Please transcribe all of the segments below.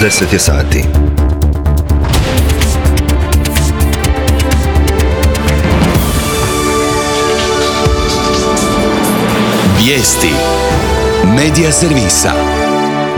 10 je sati. Vijesti Medija servisa.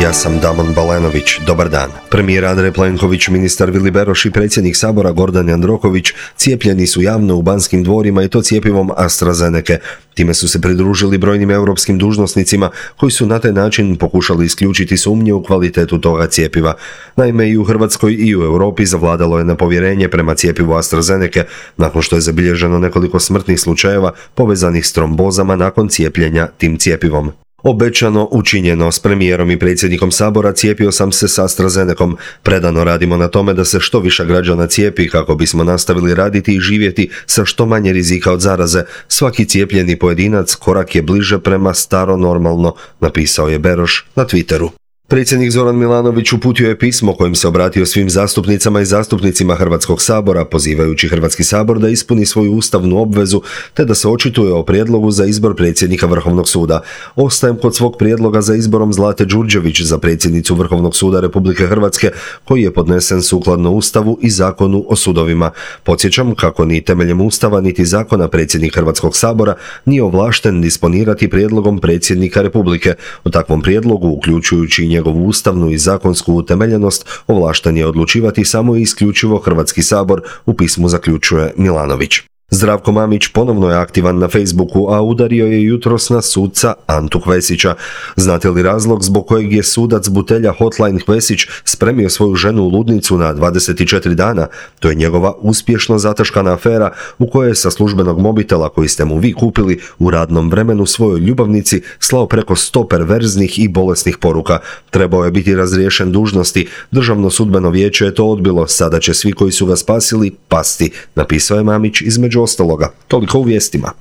Ja sam Damon Balenović, dobar dan. Premijer Andrej Plenković, ministar Vili Beroš i predsjednik Sabora Gordan Jandroković cijepljeni su javno u Banskim dvorima i to cjepivom AstraZenece. Time su se pridružili brojnim europskim dužnosnicima koji su na taj način pokušali isključiti sumnje u kvalitetu toga cjepiva. Naime, i u Hrvatskoj i u Europi zavladalo je nepovjerenje prema cjepivu AstraZenece nakon što je zabilježeno nekoliko smrtnih slučajeva povezanih s trombozama nakon cijepljenja tim cjepivom. Obećano, učinjeno. S premijerom i predsjednikom Sabora cijepio sam se s AstraZenecom. Predano radimo na tome da se što više građana cijepi kako bismo nastavili raditi i živjeti sa što manje rizika od zaraze. Svaki cijepljeni pojedinac korak je bliže prema staro normalno, napisao je Beroš na Twitteru. Predsjednik Zoran Milanović uputio je pismo kojim se obratio svim zastupnicama i zastupnicima Hrvatskog sabora, pozivajući Hrvatski sabor da ispuni svoju ustavnu obvezu te da se očituje o prijedlogu za izbor predsjednika Vrhovnog suda. Ostajem kod svog prijedloga za izborom Zlate Đurđević za predsjednicu Vrhovnog suda Republike Hrvatske, koji je podnesen sukladno Ustavu i Zakonu o sudovima. Podsjećam kako ni temeljem Ustava niti zakona predsjednik Hrvatskog sabora nije ovlašten disponirati prijedlogom predsjednika Republike. O takvom prijedlogu, uključujući njegovu ustavnu i zakonsku utemeljenost, ovlašten je odlučivati samo i isključivo Hrvatski sabor, u pismu zaključuje Milanović. Zdravko Mamić ponovno je aktivan na Facebooku, a udario je jutros na suca Antu Hvesića. Znate li razlog zbog kojeg je sudac Butelja Hotline Hvesić spremio svoju ženu u ludnicu na 24 dana? To je njegova uspješno zataškana afera u kojoj je sa službenog mobitela koji ste mu vi kupili u radnom vremenu svojoj ljubavnici slao preko 100 perverznih i bolesnih poruka. Trebao je biti razriješen dužnosti. Državno sudbeno vijeće je to odbilo. Sada će svi koji su ga spasili pasti, napisao je Mamić između ostaloga. Toliko u vijestima.